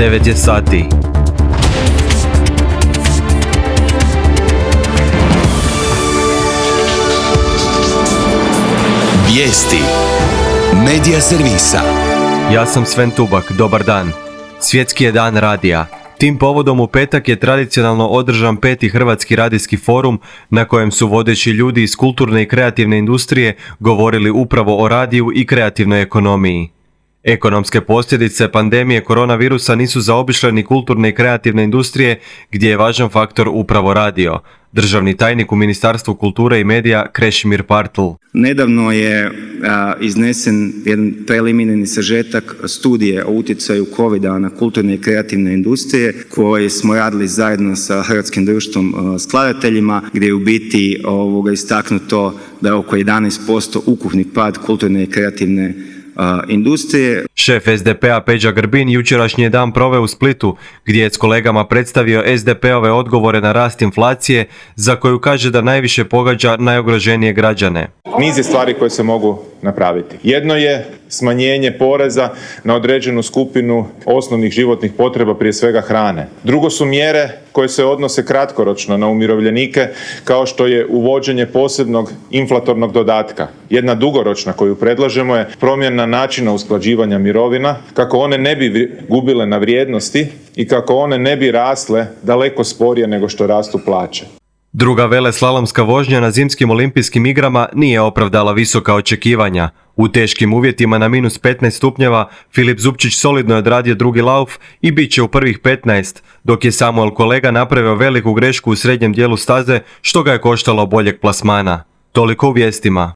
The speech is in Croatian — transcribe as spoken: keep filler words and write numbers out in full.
devet je sati. Vijesti Medija servisa. Ja sam Sven Tubak, dobar dan. Svjetski je dan radija. Tim povodom u petak je tradicionalno održan peti Hrvatski radijski forum na kojem su vodeći ljudi iz kulturne i kreativne industrije govorili upravo o radiju i kreativnoj ekonomiji. Ekonomske posljedice pandemije koronavirusa nisu zaobišle ni kulturne i kreativne industrije gdje je važan faktor upravo radio. Državni tajnik u Ministarstvu kulture i medija Krešimir Partl. Nedavno je a, iznesen jedan preliminarni sažetak studije o utjecaju covida na kulturne i kreativne industrije koje smo radili zajedno sa Hrvatskim društvom a, skladateljima, gdje je u biti ovoga istaknuto da je oko jedanaest posto ukupni pad kulturne i kreativne a, industrije. Šef es de pe-a Peđa Grbin jučerašnji je dan proveo u Splitu gdje je s kolegama predstavio es de pe-ove odgovore na rast inflacije za koju kaže da najviše pogađa najugroženije građane. Niz je stvari koje se mogu napraviti. Jedno je smanjenje poreza na određenu skupinu osnovnih životnih potreba, prije svega hrane. Drugo su mjere koje se odnose kratkoročno na umirovljenike, kao što je uvođenje posebnog inflatornog dodatka. Jedna dugoročna koju predlažemo je promjena načina usklađivanja mirovina, kako one ne bi gubile na vrijednosti i kako one ne bi rasle daleko sporije nego što rastu plaće. Druga veleslalomska vožnja na zimskim olimpijskim igrama nije opravdala visoka očekivanja. U teškim uvjetima na minus petnaest stupnjeva Filip Zupčić solidno je odradio drugi lauf i bit će u prvih petnaest, dok je Samuel Kolega napravio veliku grešku u srednjem dijelu staze što ga je koštalo boljeg plasmana. Toliko u vijestima.